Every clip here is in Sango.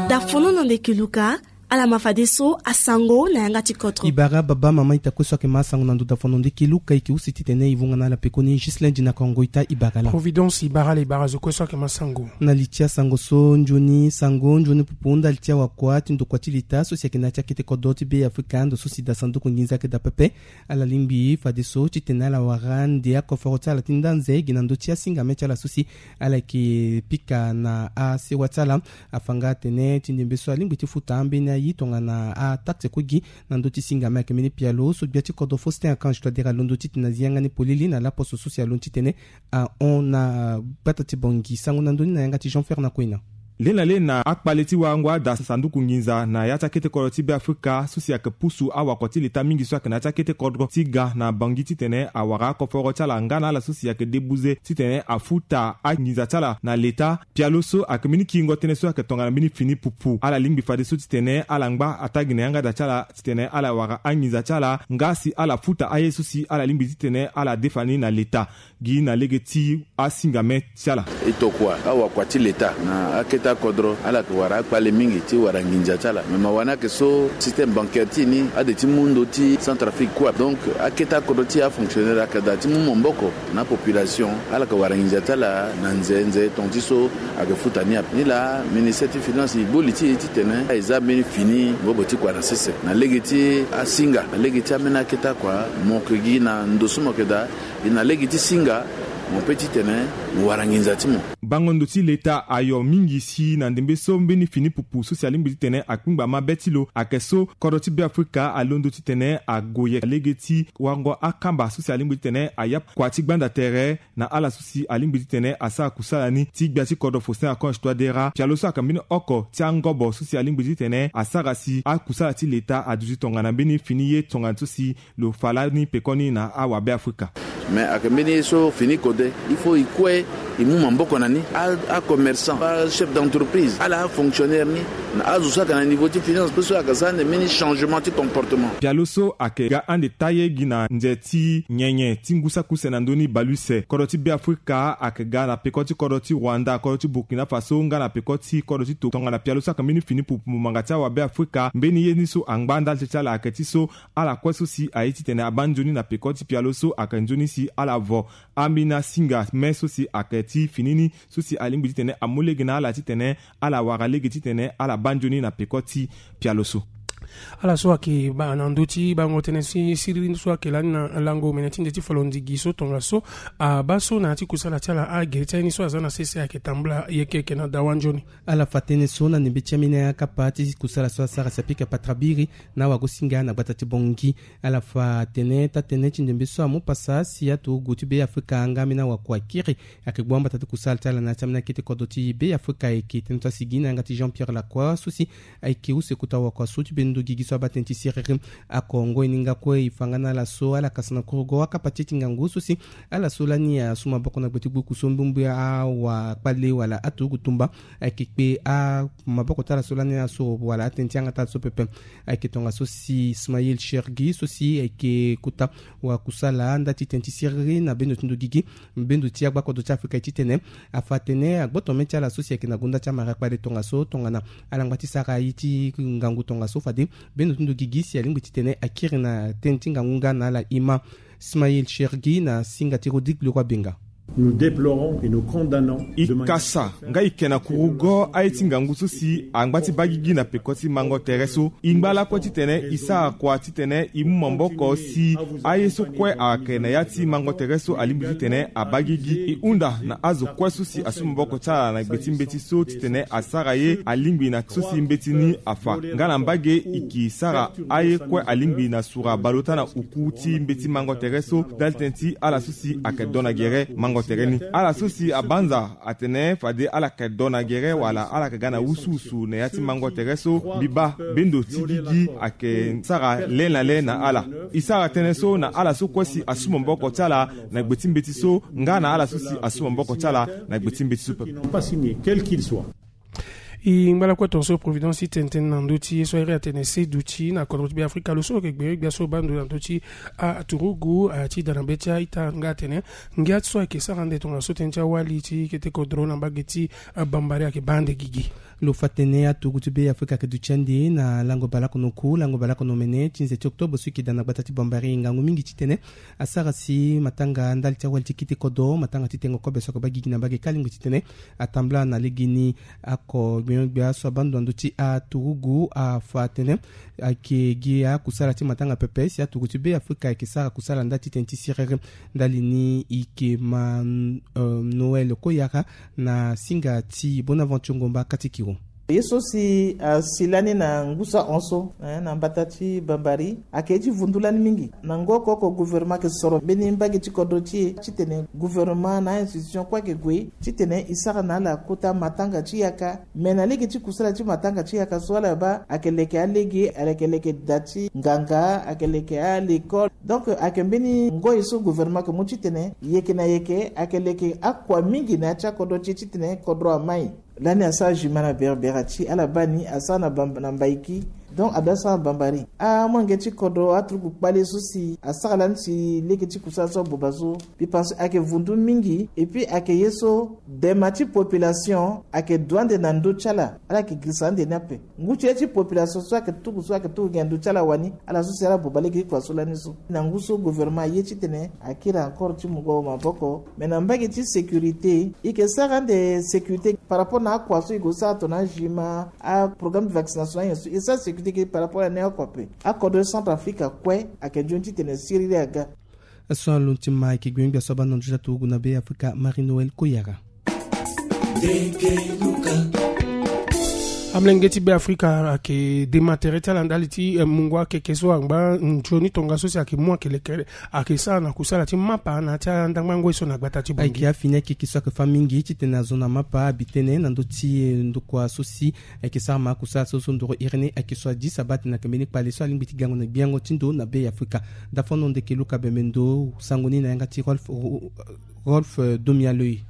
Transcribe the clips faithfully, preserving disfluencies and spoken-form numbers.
Dafono na ndeke luka. Ala ma fadeso asango na yanga ti kodro. Ibara baba mama ita kue so ayeke ma asango na ndo dafono ndeke luka, eke use titene e vunga na ala pekoni. Juste lundi na kongo ita ibara la. Providence ibara la ibara zo kue so ayeke ma sango. Na li ti asango so nzoni sango nzoni pupu ndali ti awakua ti ndokua ti leta so si ayeke na ya ti akete kodro ti be afrika ndo so si da sanduku nginza ayeke da pepe. Ala lingbi fadeso titene ala wara nde akoforo ti ala ti ndanze gi na ndö ti asingame ti ala so si ala yeke pika na asewa ti ala. Afa nga atene ti ndembe so alingbi ti futa ambeni aye tongana ataxe kue gi na ndö ti singame ayeke mbeni pialo so gbia ti kodro Faustin Archange Touadéra alondo titene azi yanga ni polele na laposo so si alondo titene ahon na gbata ti bongi sango na ndö ni na yanga ti Jean Fer na kuena. Lena lena akpale ti warango ada sanduku nginza na ya ti akete kodro ti be afrika so si ayeke pusu awakua ti leta mingi so ayeke na ya ti akete kodro ti ga na bangi titene awara akoforo ti ala nga na ala so si ayeke debuze titene afuta anginza ti ala na leta. Pialo so ayeke mbeni kiringo tënë so ayeke tongana mbeni fini pupu ala lingbi fadeso titene ala ngba atagi na yanga da ti ala titene ala wara anginza ti ala nga si ala futa aye so si ala lingbi titene ala defa ni na leta. Gi na lege ti asingame ti ala. E tokua awakua ti leta na akete akodro ala yeke wara akpale mingi ti wara nginza ti ala me mawa ni ayeke so système bancaire ti e ni ade ti mu ndo ti Centrafrique kue. Donc akete akodro ti e afonctionnaire ayeke daa ti mu maboko na apopulation. Ala yeke wara nginza ti ala na nze nze tonga ti so ayeke futa ni ape ni laa ministère ti finance e gbu li ti e titene e za mbeni fini ngobo ti kua na sese na lege ti asinga na lege ti ambeni akete akua. Mo yeke gi na ndo so mo yeke daa. E na lege ti singa mo pe titene mo wara nginza ti mo. Bango ndo ti leta ayo mingi si na ndembe so mbeni fini pupu so si alingbi titene akpingba mabe ti lo ayeke so kodro ti be afrika alondo titene ague lege ti wango akamba so si alingbi titene aya kua ti gbanda tere na ala so si alingbi titene asara kusala ni ti gbia ti kodro Faustin Archange Touadéra pialo so ayeke mbeni oko ti angobo so si alingbi titene asara si akusala ti leta aduti tongana mbeni fini ye tongana so si lo fa lani pekoni na awabe afrika. Mais ayeke mbeni ye so fini kode il faut e kue e mu maboko na ni. Acommerçant, achef d'entreprise, ala afonctionnaire ni na azo so ayeke na niveau ti finance pe so ayeke sara ande mbeni changement ti comportement. Pialo so ayeke ga ande taye gi na nze ti nyenye ti ngu saki use na ndö ni baleuse kodro ti be afrika ayeke ga na peko ti kodro ti rwanda kodro ti burkina faso nga na peko ti kodro ti to tongana pialo so ayeke mbeni fini pupu mumanga ti awabe afrika mbeni ye ni so angba ndali ti ala ayeke ti so ala kue so si aye titene abaa nzoni na peko ti pialo so ayeke nzoni si ala vo ambeni asinga me so si ayeke ti fini ni so si alingbi titene amu lege na ala titene ala wara lege titene ala baa nzoni na peko ti pialo so. Ala so ayeke baa na ndö ti bango tënë si siriri so ayeke lani na lango mene ti nze ti folondigi so tongaso abaa so na ya ti kusala ti ala agere ti aye ni so aza na sese ayeke tambula yeke yeke na dawa nzoni. Ala fa tënë so na ndembe ti ambeni akapa ti kusala so asara si apika patrabiri na awagosinga na gbata ti bongi. Ala fa tene taa-tënë ti ndembe so amu pasa si aturugu ti be afrika nga ambeni awakua kiri ayeke gbu ambata ti kusala ti ala na ya ti ambeni akete kodro ti be afrika ayeke tënë so asigi na yanga ti jean pierre lakua so si ayeke use kota wakua so ti bendo gigi so abaa tënë ti siriri. Akongo e ni nga kue e fa nga na ala so ala kasa na kurugo akapa ti e ti ngangu so si ala so lani asu maboko na gbe ti gbuku so mbumbu awakpale wala aturugu tumba ayeke kpe amaboko ti ala so lani aso wala atënë ti yanga ti ala so pepe. Ayeke tongaso si ismael shergi so si ayeke kota wakusala nda ti tënë ti siriri na bendo ti ndo gigi bendo ti agbakodo ti afrika ye titene afa atene agboto mê ti ala so si ayeke na gonda ti amara kpale tongaso tongana ala ngba ti sara ye ti ngangu tongaso fade bendo ti ndo gigi si alingbi titene akiri na tënë ti ngangu nga na ala ima. Ismael shergi na singa ti rodrigue leroi benga. Nous déplorons et nous condamnons. E kasa nga e yeke na kurugo aye ti ngangu so si angba ti baa gigi na peko ti mango tere so. E ngba lakue titene e sara kua titene e mu maboko si aye so kue ayeke na ya ti mango tere so alingbi titene abaa gigi. E hunda na azo kue so si asu maboko ti ala na gbe ti mbeti so titene asara ye alingbi na so si mbeti ni afa nga na mbage e ke sara aye kue alingbi na sura baleota na uku ti mbeti mango tere so. Ndali tënë ti ala so si ayeke do na gere mango tere ni ala so si abanza atene fade ala yeke do na gere wala ala yeke ga na wusuwusu na ya ti mango tere so. Mbi baa bendo ti gigi ayeke sara le na le na ala. E sara tënë so na ala so kue si asu maboko ti ala na gbe ti mbeti so nga na ala so si asu maboko ti ala na gbe ti mbeti so pepe. N'ont pas signé, quel qu'il soit. E ngba lakue tongaso Providence ti tene tënë na ndö ti ye so ahiri atene se duti na kodro ti Beafrika lo so lo yeke gbe gbia so baa ndo na ndö ti aturugu ti da na be ti a-ita nga atene ngia ti so ayeke sara ande tongaso tënë ti awali ti kete kodro na mbage ti Bambari ayeke baa ande gigi. Lo fa tene aturugu ti Beafrika ayeke duti ande na lango baleoko na oku lango baleoko na omene ti nze ti octobre so e yeke daa na gbata ti Bambari ngangu mingi titene asara si matanga ndali ti awali ti kete kodro matanga ti tengo kobe so ayeke baa gigi na mbage kâ alingbi titene atambula na legeni. Oko gbiongbia so abaa ndo na ndö ti aturugu afa atene ayeke gi akusala ti matanga pepe si aturugu ti Beafrika ayeke sara kusala ndali ti tënë ti siriri. Ndali ni e yeke ma, euh, Noël Koyara na singa ti Bonaventure Ngomba Katikiro. Ye so si asi lani na ngu so ahon so, eh, na mbata ti Bambari ayeke ye ti vundu lani mingi. Na ngoko oko gouvernement ayeke soro mbeni mbage ti kodro ti e titene gouvernement na a-institution kue ayeke gue titene e sara na ala kota matanga ti yaka. Me na lege ti kusala ti matanga ti yaka so ala baa ayeke leke alege, ayeke leke da ti nganga, ayeke leke alekole. Donc ayeke mbeni ngoi so gouvernement ayeke mu titene yeke na yeke ayeke leke akua mingi na ya ti akodro ti e titene kodro amai. Lani asara juma na Berbera ti ala baa ni asara na Bam-, na Mbaiki. Donc adoit asara na Bambari. Amolenge ti kodro aturugu kpale so si asara lani si lege ti kusala so aboba so. Mbi pense ayeke vundu mingi. Et puis ayeke ye so dema ti population ayeke du ande na ndö ti ala. Ala yeke girisa ande ni ape. Ngu ti ye ti population so ayeke tuku so ayeke tuku gi na ndö ti ala wani. Ala so si ala boba lege ti kua so lani so. Na ngu so gouvernement aye titene akiri encore ti mungo maboko. Me na mbage ti sécurité e yeke sara ande sécurité par rapport na akua so e gue sara tongana ajima, aprogramme de vaccination, ayen so e sara sécurité gi par rapport na ni oko ape. Akodro Centrafrique akue ayeke nzoni titene siriri aga. So alondo ti ma ayeke gbiongbia so abaa na ndö ti aturugu na Beafrika Marie Noël Koyara. Amolenge ti Beafrika ayeke dema tere ti ala ndali ti, eh, mungo akeke so angba nzoni tongaso si ayeke mu ayeke leke ayeke sara na kusala ti mapa na ya ti andangba ngoi so na gbata ti Bangui. Ayeke afini akeke so ayeke fâ mingi titene azo na mapa abi tënë na ndö ti, eh, ndokua so si ayeke sara ma akusala so so ndoro iri ni ayeke so adi sabate na yeke mbeni kpale so alingbi ti gango na gbiango ti ndo na Beafrika. Dafono ndeke Luka Bemendo sango ni na yanga ti Rolf, Rolf, eh, Domialoi.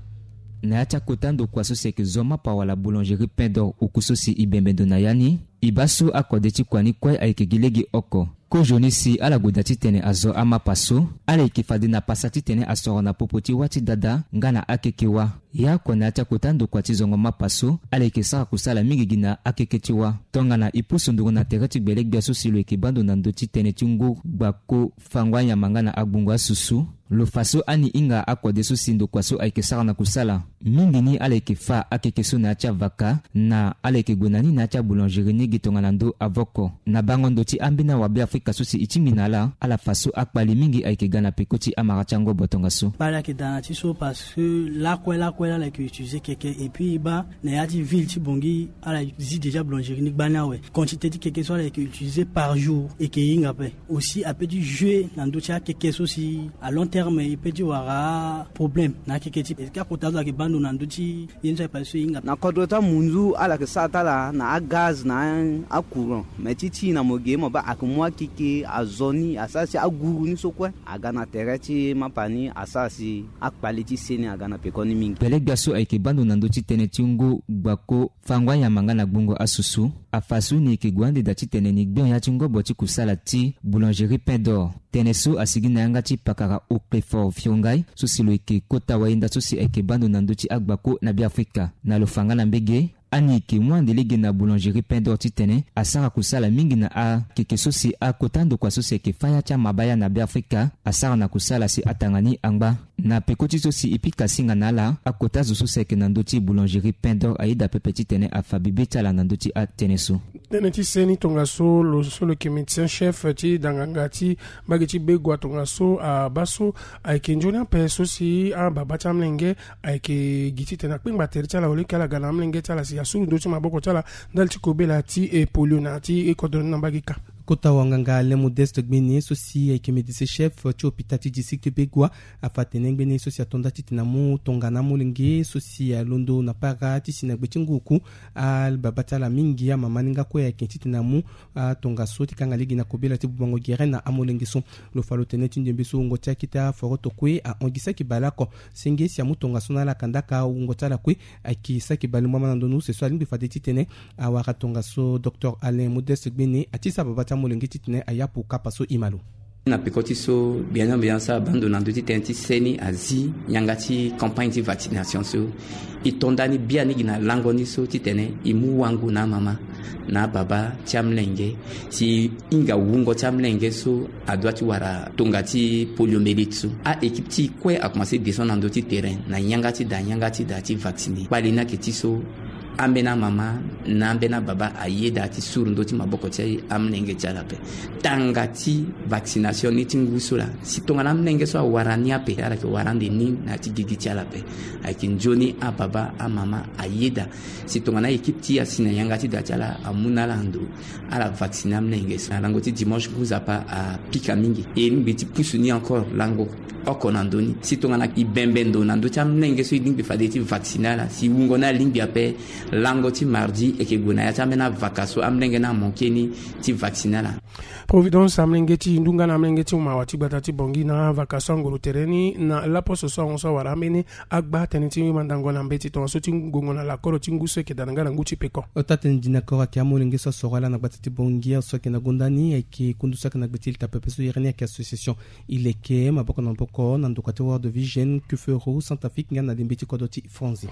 Na ya ti akota ndokua so si ayeke zo mapa wala boulangerie Pain d'Or oku so si e bembe ndo na ya ni, e baa so akode ti kua ni kue ayeke gi lege oko. Kozoni si ala gue daa titene azo amapa so, ala yeke fade na pasa titene asoro na popo ti wâ ti dada nga na akeke wâ. Ya oko na ya ti akota ndokua ti zongo mapa so, ala yeke sara kusala mingi gi na akeke ti wâ. Tongana e pusu nduru na tere ti gbele gbia so si lo yeke baa ndo na ndö ti tënë ti ngu gbako fango anyama nga na agbungo asusu. Lo fa so ani hinga akode so si ndokua so ayeke sara na kusala. Mingi ni ala yeke fâ akeke so na ya ti avaka na ala yeke gue na ni na ya ti aboulangerie ni gi tongana ndö avoko. Na bango ndo ti ambeni awa Beafrika so si e tingbi na ala, ala fa so akpali mingi ayeke ga na peko ti amara ti angobo tongaso. Kpali ayeke daa na ti so parce que lakue lakue ala yeke utiliser keke et puis e baa na ya ti ville ti Bangui ala zi déjà boulangerie ni gbani awe. Quantité ti keke so ala yeke utiliser par jour e yeke hinga ape. Aussi ape ti jouer na ndö ti akeke so si à long terme e peut ti wara problème na akeke ti e. Akota so ayeke baa ndo na ndö ti ye ni so ayeke pase so e hinga. Na kodro ti amunzu ala yeke sara ti ala na agaz na acourant. Me ti ti na mo ge mo baa ayeke mu akeke azo ni asara si aguru ni so kue aga na tere ti mapa ni asara si akpale ti se ni aga na peko ni mingi. Gbele gbia so ayeke baa ndo na ndö ti tënë ti ngu gbako fango anyama nga na gbungo asusu. Afa so ni yeke gue ande daa titene ni gbion ya ti ngobo ti kusala ti boulangerie Pain d'Or. Tënë so asigi na yanga ti pakara Oclefort Fiongai so si lo yeke kota wayenda so si ayeke baa ndo na ndö ti agbako na Beafrika. Na lo fa nga na mbege, ani yeke mu ande lege na boulangerie Pain d'Or titene asara kusala mingi na akeke so si akota ndokua so si ayeke fâ ya ti amabaya na Beafrika asara na kusala si atanga ni angba. Na peko ti so si e pika singa na ala, akota zo so si ayeke na ndö ti boulangerie Pain d'Or ayeda pepe titene afa bibe ti ala na ndö ti atënë so. Tënë ti seni tongaso lo so lo yeke médecin chef ti danganga ti mbage ti Begua tongaso abaa so ayeke nzoni ape so si ababa ti amolenge ayeke gi titene akpengba tere ti ala wala eke ala ga na amolenge ti ala si asuru ndö ti maboko ti ala ndali ti kobela ti e polio na ya ti e kodro ni na mbage ka. Kota wanganga Alain Modeste Gbene so si ayeke médecin chef ti hôpital ti district ti Begoua afa atene ngbene so si ato nda titene amu tongana amolenge so si alondo na para ti si na gbe ti ngu oku. Ababa ti ala mingi, amama ni nga kue ayeke titene amu atongaso ti kanga lege na kobela ti bubango gere na amolenge so. Lo fa lo tene ti ndembe so wungo ti akete aforoto kue ahon gi saki baleoko senge si amu tongaso na ala kandaka wungo ti ala kue. Ayeke saki baleungba ma na ndoni use so alingbi fade titene awara tongaso. Docteur Alain Modeste Gbene ati sa baba ti amolenge titene ayapu kapa so e ma lo. Na peko ti so biani ambiance abando na ndö ti tënë ti seni azi yanga ti campagne ti vaccination so. E to ndani biani gi na lango ni so titene e mu wango na amama na ababa ti amolenge si e hinga wungo ti amolenge so adua ti wara tonga ti poliomyélite so. A-équipe ti e kue akomanse descendre na ndö ti terrain na yanga ti da yanga ti da ti vacciner. Kpali ni ayeke ti so ambeni amama na ambeni ababa ayeda ti suru ndö ti maboko ti amolenge ti ala ape. Tanga ti vaccination ni ti ngu so laa si tongana amolenge so awara ni ape, ala yeke wara ande ni na ya ti gigi ti ala ape. Ayeke nzoni ababa amama ayeda si tongana équipe ti e asi na yanga ti da ti ala amu na ala ndo, ala vacciner amolenge so. Na lango ti dimanche ngu nzapa apika mingi. E lingbi ti pusu ni encore lango oko na ndö ni si tongana e bembe ndo na ndö ti amolenge so e lingbi fade ti vacciner ala si wungo ni alingbi ape. Lango ti mardi e yeke gue na ya ti ambeni avaka so amolenge ni amanke ni ti vacciner ala. Providence, amolenge ti e ndunga na amolenge ti mawa ti gbata ti Bangui na avaka so anguru tere ni na laposo so ahon so awara ambeni agba tënë ti mandango na mbeti tongaso ti ngongo na lakoro ti ngu so e yeke daa na nga na ngu ti peko. Ota tënë di na koro ayeke amolenge so asoro ala na gbata ti Bangui so ayeke na gonda ni ayeke kundu so ayeke na gbe ti leta pepe so iri ni ayeke association. E leke maboko na maboko na ndokua ti World Vision, Kufero, Centrafrique nga na lembe ti kodro ti Franzi.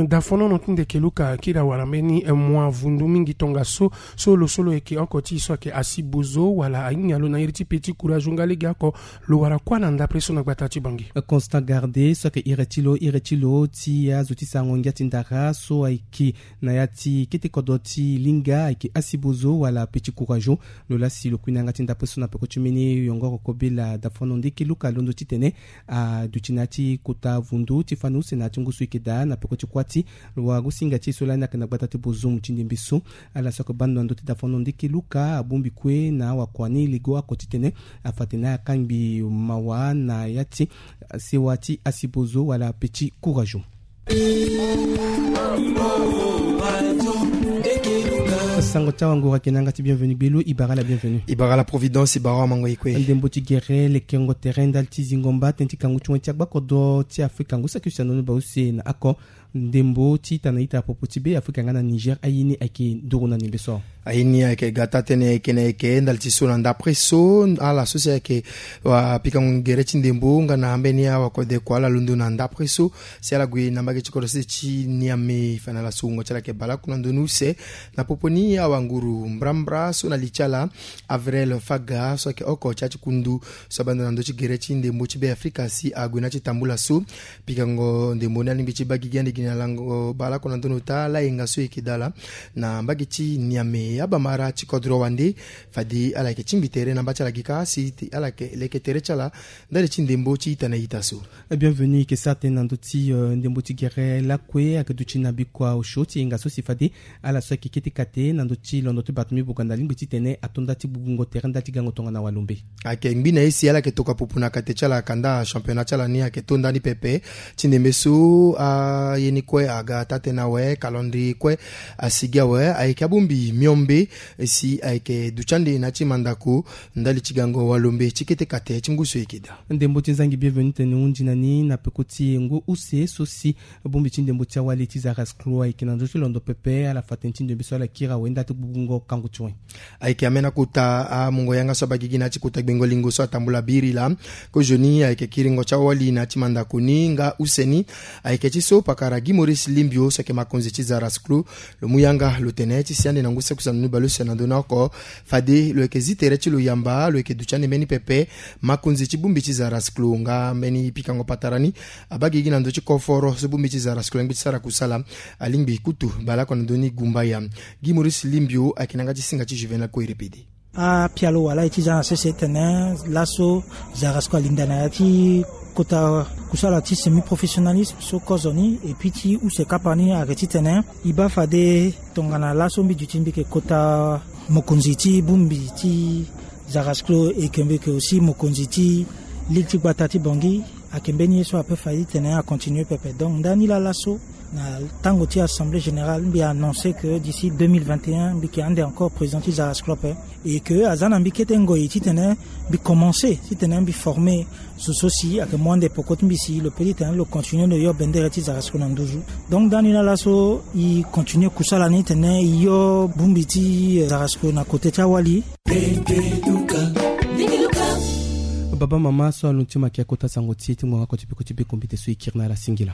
Dafonono ti ndeke Luka akiri awara mbeni mua vundu mingi tongaso so lo so lo yeke oko ti e so ayeke asi bozo wala ahinga lo na iri ti petit courage nga legeoko. Lo wara kuâ na ndapre so na gbata ti Bangui. Constant Garde so ayeke iri ti lo iri ti lo ti azo ti sarango ngia ti ndara so ayeke na ya ti kete kodro ti linga ayeke asi bozo wala petit courage. Lo laa si lo kui na yanga ti ndapre so na peko ti mbeni yongoro kobela dafono ndeke Luka alondo titene aduti na ya ti kota vundu ti fani use na ya ti ngu so e yeke daa na peko ti kuâ ti lo wagosinga ti e so lani ayeke na gbata ti Bozoum ti ndembe so. Ala so ayeke bando na ndö ti dafono ndeke Luka abongbi kue na awakua ni lego oko titene afa atene akangbi mawa na ya ti sewa ti asi bozo wala petit courage. Sango ti awanguru ayeke na yanga ti Bienvenu Gbelo. E bara ala Bienvenu. E bara ala Providence, e bara amango e kue. Ndembo ti gere lekengo tere ndali ti zingo mba tënë ti kangu ti wen ti agbakodro ti Afrika ngu saki use na ndoni bale use na oko. Ndembo ti ita na ita popo ti Be Afrika nga na Niger aye ni ayeke nduru na ndembe so. Aye ni ayeke ga taa-tënë ayeke na eke ndali ti so na ndapre so. Ala so si ayeke wa pikango gere ti ndembo nga na ambeni awakode kua ala londo na ndapre so si ala gue na mbage ti kodro sese ti Niamey fa na ala so wungo ti ala ayeke baleoko na ndoni use. Na popo ni awanguru mbrambra so na li ti ala Avril Faga so ayeke oko ti ya ti kundu so abanda na ndö ti gere ti ndembo ti Be Afrika si ague na ya ti tambula so. Pikango ndembo ni alingbi ti baa gigi ande gi na lango baleoko na ndoni ota layenga so e yeke daa ala na mbage ti Niamey. Abamara ti kodro wande fade ala yeke tingbi tere na mba ti ala gi kâ si ala yeke leke tere ti ala ndali ti ndembo ti ita na ita so. Bienvenu, e yeke sara tënë na ndö ti ndembo ti gere lakue ayeke duti na bikua osio ti yenga so si fade ala so ayeke kete kate na ndö ti londo ti bato mbi boganda alingbi titene ato nda ti gbugbungo tere ndali ti gango tongana walombe. Ayeke ngbi na ye si ala yeke tokua pupu na kate ti ala kanda championnat ti ala ni ayeke to ndani pepe. Ti ndembe so aye ni kue aga taa-tënë awe, calendrier kue asigi awe. Ayeke abongbi miombe si ayeke duti ande na ya ti mandako ndali ti gango walombe ti kete kate ti ngu so e yeke daa. Ndembo ti nzangi Bienvenu tene hundi na ni na peko ti ngu use so si bongbi ti ndembo ti awali ti Zarasclo ayeke na ndö ti londo pepe. Ala fa tënë ti ndembe so ala kiri awe ndali ti gbugbungo kangu ti wen. Ayeke ambeni akota amungo yanga so abaa gigi na ya ti kota gbengo lingo so atambula biri laa. Kozoni ayeke kiringo ti awali na ya ti mandako ni nga use ni. Ayeke ti so pakara Guy Maurice Limbio so ayeke makonzi ti Zarasclo lo mu yanga lo tene ti si ande na ngu saki use na ndoni bale use na ndö ni oko fade lo yeke zi tere ti lo yamba, lo yeke duti ande mbeni pepe. Makonzi ti bongbi ti Zarasclo nga mbeni pikango patara ni abaa gigi na ndö ti koforo so bongbi ti Zarasclo alingbi ti sara kusala. Alingbi kutu baleoko na ndö ni gumbaya. Guy Maurice Limbio ayeke na yanga ti singa ti Juvenal Koirepede. Apialo wala e ti za na sese tene laso Zarasclo alinda na ya ti kota kusala ti semi-professionnalisme so kozoni, et puis ti use kapa ni ayeke titene e baa fade tongana laso mbi duti mbi yeke kota Mokonzi ti bongbi ti Zarasclo, e yeke mbi yeke aussi mokonzi ti ligue ti gbata ti Bangui. Ayeke mbeni ye so ape fa titene acontinue pepe. Donc ndani lala so, na tango ti assemblée générale, mbi annonce que d'ici deux mille vingt et un mbi yeke ande encore président ti Zarasclo ape. Et que aza na mbi kete ngoi titene mbi commence titene mbi forme zo so si ayeke mu ande peko ti mbi si lo pe titene lo continue lo yo bendere ti Zarasclo na nduzu. Donc ndani lala so, e continue kusala ni titene e yo bongbi ti Zarasclo na kote ti awali. Baba mama so alondo ti mo ayeke kota sango ti e ti ngbonga oko ti peko ti biko mbi te so e kiri na ala singila.